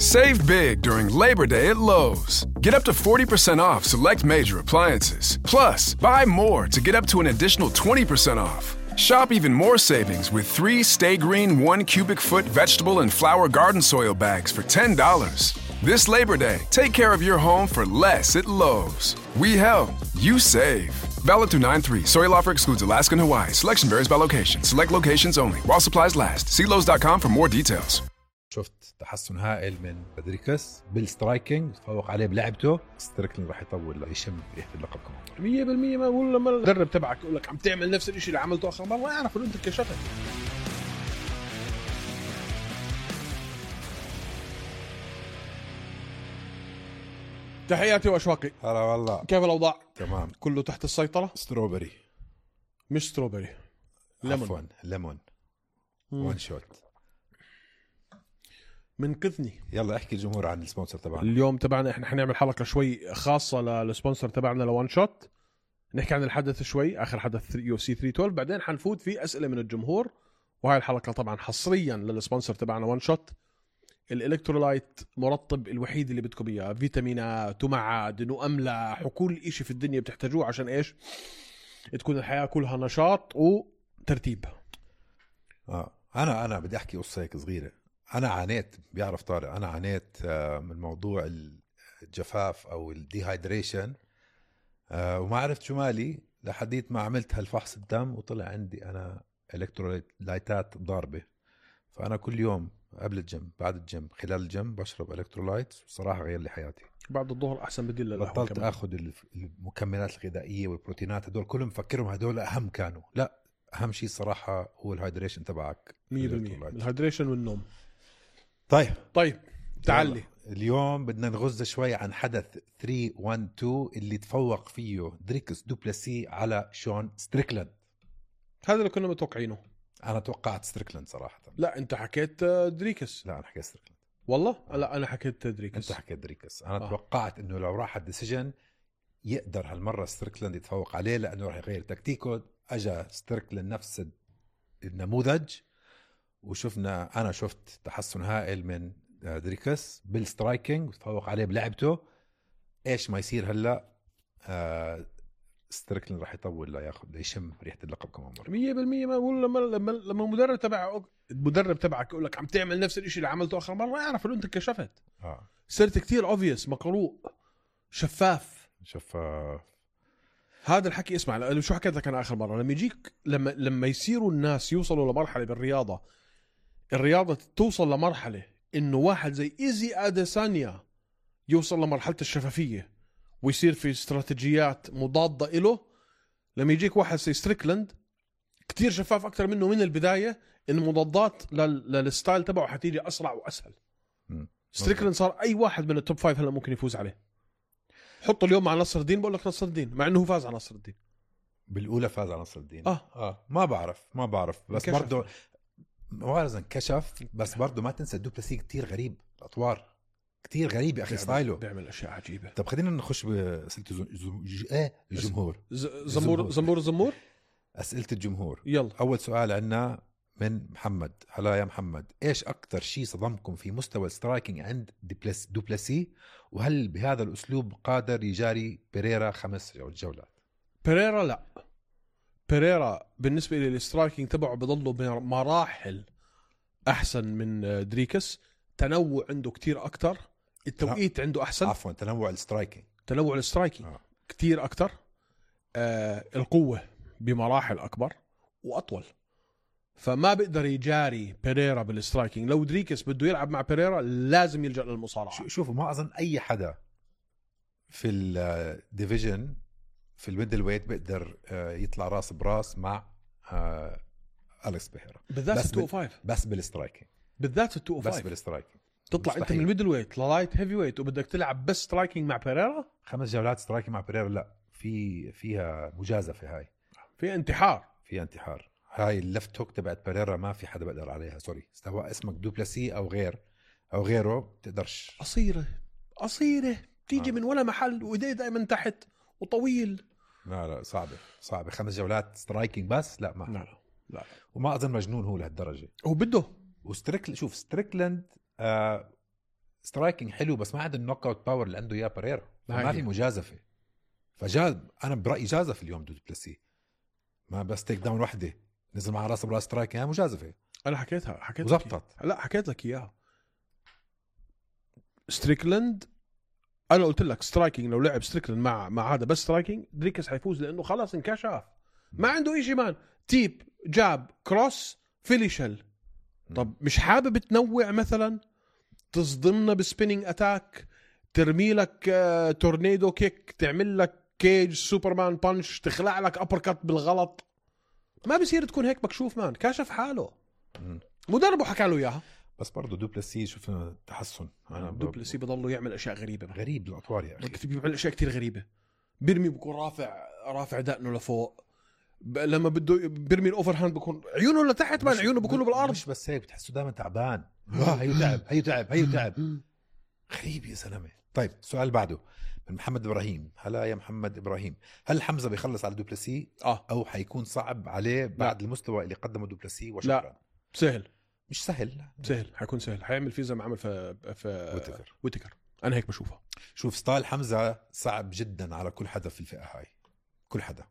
Save big during Labor Day at Lowe's. Get up to 40% off select major appliances. Plus, buy more to get up to an additional 20% off. Shop even more savings with 3 Stay Green 1 cubic foot vegetable and flower garden soil bags for $10. This Labor Day, take care of your home for less at Lowe's. We help, you save. Valid through 9/3. Soil offer excludes Alaska and Hawaii. Selection varies by location. Select locations only. While supplies last. See Lowe's.com for more details. شفت تحسن هائل من دريكس بالسترايكينج، تفوق عليه بلعبته. ستريكلين راح يطول يشم ريحة اللقب كمان 100%. ما بقول لما المدرب تبعك يقول لك عم تعمل نفس الشيء اللي عملته آخر مرة، ما يعرف إنه أنت كشفت. تحياتي وأشواقي. هلا والله، كيف الأوضاع؟ تمام، كله تحت السيطرة. ستروبري مش ستروبري، عفوا ليمون. وان شوت. منقذني. يلا احكي الجمهور عن السبونسر تبعنا اليوم تبعنا. احنا حنعمل حلقة شوي خاصة للسبونسر تبعنا لوان شوت. نحكي عن الحدث شوي، آخر حدث UFC 312. بعدين حنفوت في أسئلة من الجمهور. وهاي الحلقة طبعا حصريا للسبونسر تبعنا وان شوت. الإلكترولايت مرطب الوحيد اللي بدكم إياه، فيتامينات ومعادن وأملاح وكل إشي في الدنيا بتحتاجوه عشان إيش تكون الحياة كلها نشاط وترتيب. أنا بدي أحكي قصة هيك صغيرة. أنا عانيت، بيعرف طارق، أنا عانيت من موضوع الجفاف أو الديهايدريشن، وما عرفت شو مالي لحديت ما عملت هالفحص الدم وطلع عندي أنا إلكترولايتات ضاربة. فأنا كل يوم قبل الجيم، بعد الجيم، خلال الجيم بشرب إلكترولايت. صراحة غير لي حياتي. بعد الظهر أحسن بديل للقهوة. بطلت أخذ المكملات الغذائية والبروتينات، هدول كلهم مفكرهم هدول أهم كانوا. لا، أهم شيء صراحة هو الهايدريشن تبعك 100%. الهايدريشن والنوم. طيب تعالي اليوم بدنا نغز شوي عن حدث 312 اللي تفوق فيه دريكس دوبلاسي على شون ستريكلاند. هذا اللي كنا متوقعينه. أنا توقعت ستريكلاند صراحة. لا أنت حكيت دريكس. لا أنا حكيت ستريكلاند والله. لا أنا حكيت دريكس. أنت حكيت دريكس. أنا توقعت إنه لو راح الديسيجن يقدر هالمرة ستريكلاند يتفوق عليه، لأنه راح يغير تكتيكه. أجا ستريكلاند نفس النموذج، وشفنا، أنا شفت تحسن هائل من دريكس بالسترايكينج وتفوق عليه بلعبته. إيش ما يصير هلأ ستريكلاند راح يطول لا ياخذ يشم ريحة اللقب كمان مرة 100%. ما بقول لما المدرب تبعك يقول لك عم تعمل نفس الشيء اللي عملته آخر مرة، ما يعرف إنه أنت كشفت. صرت كتير obvious، مقروء، شفاف. هذا الحكي. اسمع شو حكيت لك أنا آخر مرة. لما يجيك لما يصيروا الناس يوصلوا لمرحلة بالرياضة، الرياضة توصل لمرحلة إنه واحد زي إيزي أديسانيا يوصل لمرحلة الشفافية ويصير في استراتيجيات مضادة إله. لما يجيك واحد زي ستريكلاند كتير شفاف أكتر منه من البداية، إن المضادات للستايل تبعه حتيجي أسرع وأسهل. ستريكلاند صار أي واحد من التوب 5 هلا ممكن يفوز عليه. حطه اليوم مع نصر الدين، بقول لك نصر الدين، مع إنه هو فاز على نصر الدين بالأولى. فاز على نصر الدين. ما بعرف بس برضو موارزا كشف. بس برضو ما تنسى الدوبلاسي كتير غريب، الأطوار كتير غريب يا أخي، ستايله بيعمل أشياء عجيبة. طب خلينا نخش بأسئلة الجمهور. زمور أسئلة الجمهور. يلا. أول سؤال عنا من محمد. هلا يا محمد، إيش أكتر شيء صدمكم في مستوى السترايكينج عند دوبلاسي، وهل بهذا الأسلوب قادر يجاري بيريرا 5 جولات؟ بيريرا لا، بيريرا بالنسبة لي السترايكينج تبعه بضله بمراحل أحسن من دريكس. تنوع عنده كتير أكتر، التوقيت عنده أحسن. عفوا، تنوع السترايكينج كتير أكتر. القوة بمراحل أكبر وأطول، فما بيقدر يجاري بيريرا بالسترايكينج. لو دريكس بده يلعب مع بيريرا لازم يلجأ للمصارعة. شوفوا، ما أظن أي حدا في الديفيجن في الميدل ويت بيقدر يطلع راس براس مع أليكس بيريرا، بالذات 205. بس بالسترايكينج، بالذات 205 بس بالسترايكينج. تطلع مستحيل. انت من الميدل ويت للايت هيفي ويت وبدك تلعب بس سترايكينج مع بيريرا 5 جولات سترايكينج مع بيريرا. لا، فيها مجازفة، هاي في انتحار. هاي اللفت هوك تبعت بيريرا ما في حدا بقدر عليها. سوري، سواء اسمك دوبلاسي او غيره تقدرش. قصيرة تيجي من ولا محل، وايديه دائما تحت وطويل. لا صعبة 5 جولات سترايكينج بس. لا ما لا. وما اظن مجنون هو لهالدرجة. هو بده ستريكلاند سترايكينج حلو بس ما عنده النوك اوت باور اللي عنده اياه باريرا، ما في مجازفه. انا برايي جازف اليوم دو بلسي، ما بس تيك داون وحده نزل مع راسه براس سترايكينج مجازفه. انا حكيت وزبطت. لا حكيت لك اياها. ستريكلند انا قلت لك سترايكينج لو لعب ستريكلند مع هذا بس سترايكينج دريكس حيفوز لانه خلاص انكشف، ما عنده إشي مان. تيب جاب كروس فيليشل. طب مش حابب تنوع مثلا، تصدمنا بسبينينج اتاك، ترمي لك تورنيدو كيك، تعمل لك كيج سوبرمان بانش، تخلع لك ابر كات بالغلط. ما بصير تكون هيك مكشوف مان، كاشف حاله. مدربه حكى له اياها. بس برضه دوبلسي شفنا تحسن. دوبلسي بضله يعمل اشياء غريبه غريب الاطوار يا اخي، بيعمل اشياء كتير غريبه. بيرمي بكون رافع دقنه لفوق، لما بده بيرمي الاوفر هاند بكون عيونه لتحت مان، عيونه بكونوا بالارض. مش بس هيك، بتحسه دائما تعبان. هيو تعب غريب يا زلمه. طيب السؤال بعده من محمد ابراهيم. هلا يا محمد ابراهيم، هل حمزه بيخلص على دوبلسي او حيكون صعب عليه بعد المستوى اللي قدمه دوبلسي؟ وشكرا. لا سهل، مش سهل، حيكون سهل، حيعمل فيه زي ما عمل في ويتكر. انا هيك بشوفها. شوف ستايل حمزه صعب جدا على كل حدا في الفئه هاي، كل حدا.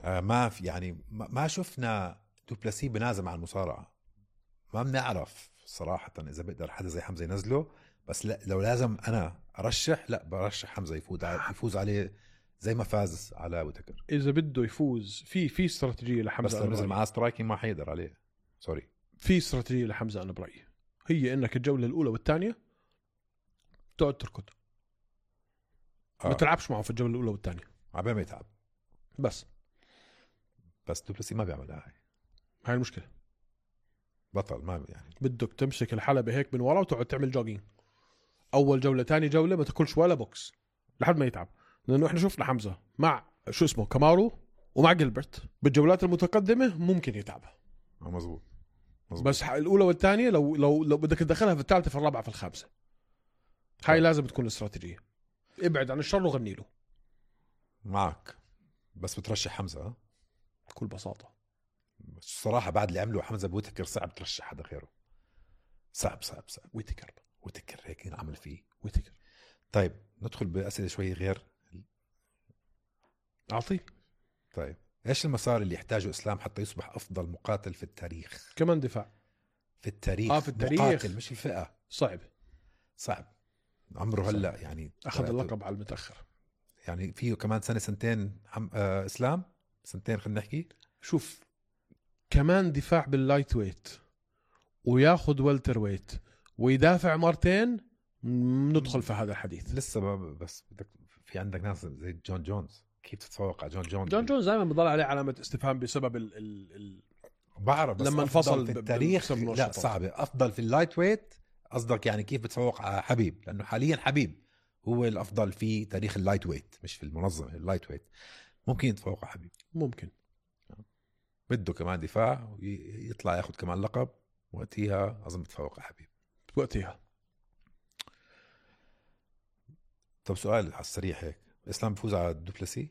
ما في يعني ما شفنا دوبلسي بنازم على المصارعه، ما بنعرف صراحه اذا بقدر حدا زي حمزه ينزله. بس لا، لو لازم انا ارشح، لا برشح حمزه يفوز عليه زي ما فاز على ويتكر. اذا بده يفوز في استراتيجيه لحمزه، بس لو نزل معاه سترايكينج ما حيقدر عليه. سوري، في استراتيجيه لحمزه انا برايي، هي انك الجوله الاولى والثانيه تقعد تركض، ما تلعبش معه في الجوله الاولى والثانيه عبال ما يتعب. بس دوبلسي ما بيعملها هاي المشكله. بطل ما يعني، بدك تمسك الحلبة هيك من ورا وتقعد تعمل جوجينج اول جوله ثاني جوله، ما تاكلش ولا بوكس لحد ما يتعب. لانه احنا شفنا حمزه مع شو اسمه كامارو ومع جيلبرت بالجولات المتقدمه ممكن يتعب. مزبوط. بس الاولى والثانيه لو بدك تدخلها في الثالثه في الرابعه في الخامسه، هاي لازم تكون الاستراتيجيه. ابعد عن الشر وغني له. معك، بس بترشح حمزه بكل بساطه. الصراحه بعد اللي عمله حمزه بويتكر صعب ترشح حدا غيره. صعب. ويتكر هيك عمل فيه ويتكر. طيب ندخل بأسئلة شوي غير. أعطي. طيب إيش المسار اللي يحتاجه إسلام حتى يصبح أفضل مقاتل في التاريخ؟ كمان دفاع في التاريخ. في التاريخ مقاتل مش الفئة. صعب. عمره هلا يعني أخذ اللقب على المتأخر، يعني فيه كمان سنتين إسلام سنتين خلينا نحكي. شوف كمان دفاع باللايت ويت وياخد والتر ويت ويدافع مرتين، ندخل في هذا الحديث. لسه بس بدك في عندك ناس زي جون جونز، كيف تتفوق على جون جونز دائما بضل عليه علامة استفهام بسبب بعرف، بس لما انفصل في التاريخ لا صعبة. أفضل في اللايت ويت قصدك يعني كيف بتفوق على حبيب؟ لأنه حاليا حبيب هو الأفضل في تاريخ اللايت ويت، مش في المنظمة اللايت ويت. ممكن يتفوق على حبيب، ممكن. بده كمان دفاع ويطلع ياخد كمان لقب، وقتها أظن بتفوق على حبيب وقتها. طب سؤال على السريع هيك، إسلام بفوز على دوبلسي؟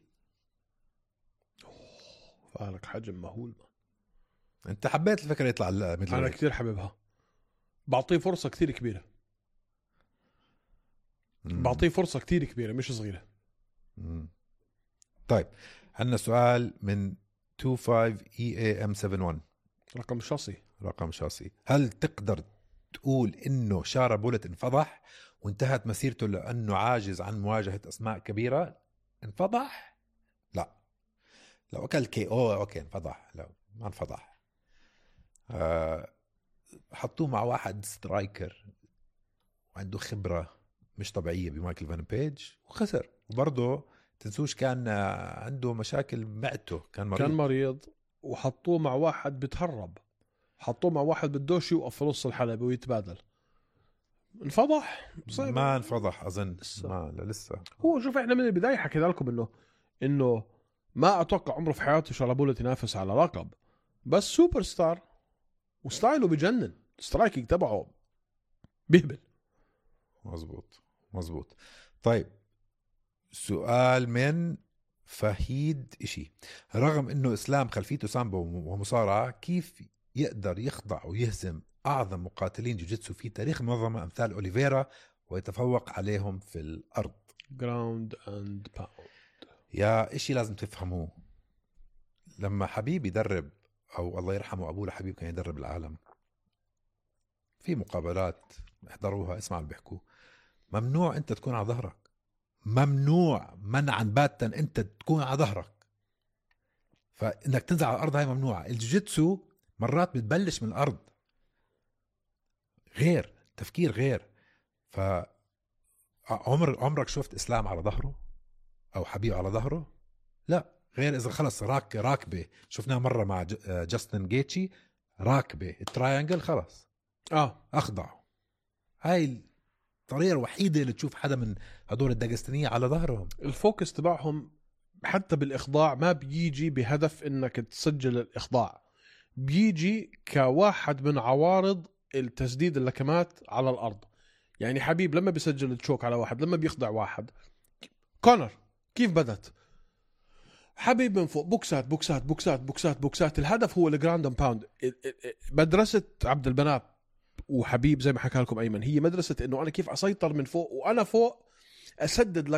فالك حجم مهول. انت حبيت الفكرة يطلع مثل انا كتير حبيبها، بعطيه فرصة كتير كبيرة. بعطيه فرصة كتير كبيرة مش صغيرة. طيب عندنا سؤال من 25EAM71 رقم شاصي. هل تقدر تقول انه شارا بولت انفضح وانتهت مسيرته لانه عاجز عن مواجهة اسماء كبيرة؟ انفضح؟ لا، لو اكل KO اوكي انفضح، لو ما انفضح. حطوه مع واحد سترايكر وعنده خبرة مش طبيعية بمايكل فان بيج وخسر. وبرضه تنسوش كان عنده مشاكل معدته، كان مريض وحطوه مع واحد بتهرب، حطوه مع واحد بدوش يوقف في نص الحلبة ويتبادل. انفضح؟ ما انفضح أظن لسه. هو شوف احنا من البداية حكينا لكم انه ما اتوقع عمره في حياته شارابولا ينافس على لقب، بس سوبر ستار وستايله بجنن، سترايكينج تبعه بيهبل. مزبوط. طيب سؤال من فهيد إشي. رغم انه اسلام خلفيته سامبو ومصارعة، كيف يقدر يخضع ويهزم أعظم مقاتلين جوجيتسو في تاريخ المنظمة أمثال أوليفيرا ويتفوق عليهم في الأرض. جراوند اند باوند. يا إشي لازم تفهموه، لما حبيب يدرب أو الله يرحمه أبوه لحبيب كان يدرب العالم، في مقابلات احضروها اسمعوا اللي بيحكوا، ممنوع أنت تكون على ظهرك، ممنوع منعا باتا أنت تكون على ظهرك، فإنك تنزل على الأرض هاي ممنوعة. الجوجيتسو مرات بتبلش من الأرض، غير تفكير غير. عمرك شفت إسلام على ظهره أو حبيب على ظهره؟ لا، غير إذا خلص راكبة، شفناها مرة مع جاستن جيتشي، راكبة التراينجل خلص أخضعوا. هاي الطريقة الوحيدة اللي تشوف حدا من هدول الداغستانية على ظهرهم. الفوكس تبعهم حتى بالإخضاع ما بيجي بهدف إنك تسجل الإخضاع، بيجي كواحد من عوارض التسديد اللكمات على الأرض. يعني حبيب لما بيسجل التشوك على واحد، لما بيخضع واحد، كونر كيف بدت حبيب من فوق بوكسات بوكسات بوكسات بوكسات بوكسات، الهدف هو الجراوند اند باوند. مدرسة عبد البنات وحبيب زي ما حكى لكم أيمن هي مدرسة إنه أنا كيف أسيطر من فوق، وأنا فوق أسدد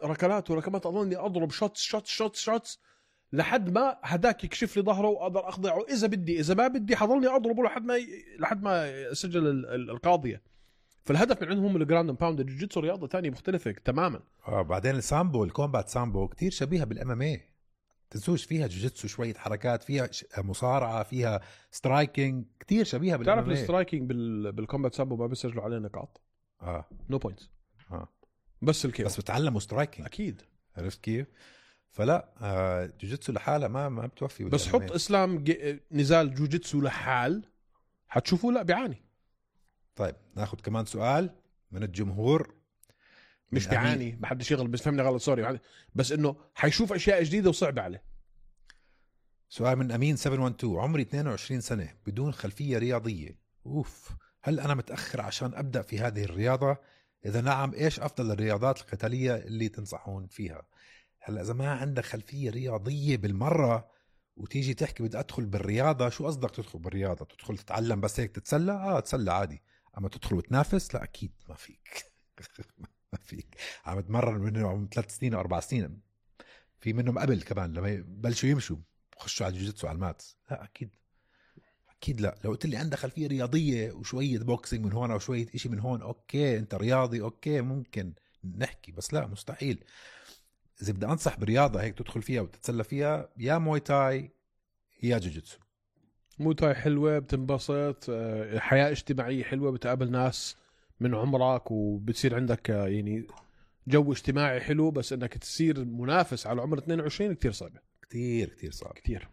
ركلات وركمات، أظني أضرب شوتس لحد ما هداك يكشف لي ظهره وأقدر أخضعه إذا بدي، إذا ما بدي حضلني أضربه لحد ما أسجل القاضية. فالهدف من عندهم الجراوند اند باوند. الجوجيتسو رياضة تانية مختلفة تماما. بعدين السامبو، الكومبات سامبو كتير شبيهة بالMMA، تنسوش فيها جوجيتسو شوية حركات، فيها مصارعة، فيها سترايكينج، كتير شبيهة بالMMA. تعرف السترايكينج بالكومبات سامبو ما بيسجلوا عليه نقاط، نو بوينتس، بس الكيف بس بتعلموا سترايكينج أكيد. عرفت كيف؟ فلا جوجيتسو لحالها ما بتوفي. بس حط إسلام نزال جوجيتسو لحال حتشوفوا لا بيعاني. طيب ناخد كمان سؤال من الجمهور. مش بيعاني، ما حدش يغلط، بس فهمني غلط سوري، بس انه حيشوف اشياء جديده وصعبه عليه. سؤال من امين 712. عمري 22 سنه بدون خلفيه رياضيه، هل انا متاخر عشان ابدا في هذه الرياضه؟ اذا نعم ايش افضل الرياضات القتاليه اللي تنصحون فيها؟ هلا اذا ما عندك خلفيه رياضيه بالمره وتيجي تحكي بدي ادخل بالرياضه، شو قصدك تدخل بالرياضه؟ تدخل تتعلم بس هيك تتسلى؟ تسلى عادي، اما تدخل وتنافس لا اكيد ما فيك. ما فيك. عم اتمرن منهم 3 سنين و4 سنين، في منهم قبل كمان لما يبلشوا يمشوا خشوا على الجوجيتسو على الماتس. لا اكيد لا. لو قلت لي عندك خلفيه رياضيه وشويه بوكسينج من هون او شويه اشي من هون، اوكي انت رياضي، اوكي ممكن نحكي، بس لا مستحيل. اذا بدي انصح برياضه هيك تدخل فيها وتتسلى فيها، يا موي تاي يا جوجيتسو. موي تاي حلوه، بتنبسط، حياه اجتماعيه حلوه، بتقابل ناس من عمرك وبتصير عندك يعني جو اجتماعي حلو. بس انك تصير منافس على عمر 22 كتير صعبه، كتير صعب كتير.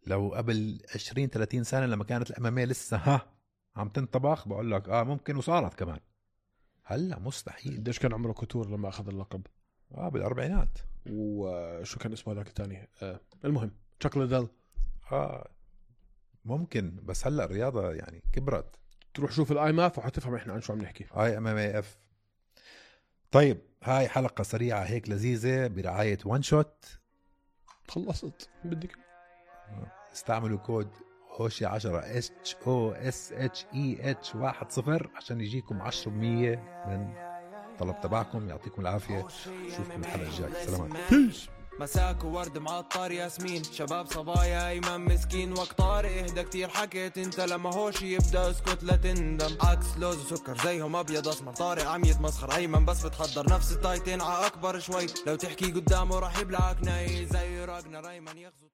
لو قبل 20-30 سنه لما كانت الاماميه لسه عم تنطبخ بقول لك ممكن، وصارت كمان. هلا مستحيل. قديش كان عمره كوتور لما اخذ اللقب؟ بالاربعينات. وشو كان اسمه ذاك الثاني؟ المهم تشاك ليدل. ممكن، بس هلا الرياضه يعني كبرت. تروح شوف الاي ماف وحتفهم احنا عن شو عم نحكي. IMMAF. طيب هاي حلقه سريعه هيك لذيذه برعايه وان شوت. خلصت بدك استعملوا كود هوشي 10 HOSHEH10 عشان يجيكم 10% من طلب تبعكم. يعطيكم العافيه، نشوفكم الحلقه الجايه. سلامات. مساك وورد معطر ياسمين، شباب صبايا ايمن مسكين، وقت طارق اهدى كتير حكيت انت، لما هوشي يبدا اسكت لا تندم. عكس لوز وسكر زيهم ابيض اسمر، طارق عم يتمسخر، ايمن بس بتحضر نفس التايتين ع اكبر شوي، لو تحكي قدامه راح يبلعك ناي زي راجنا. ايمن يغزو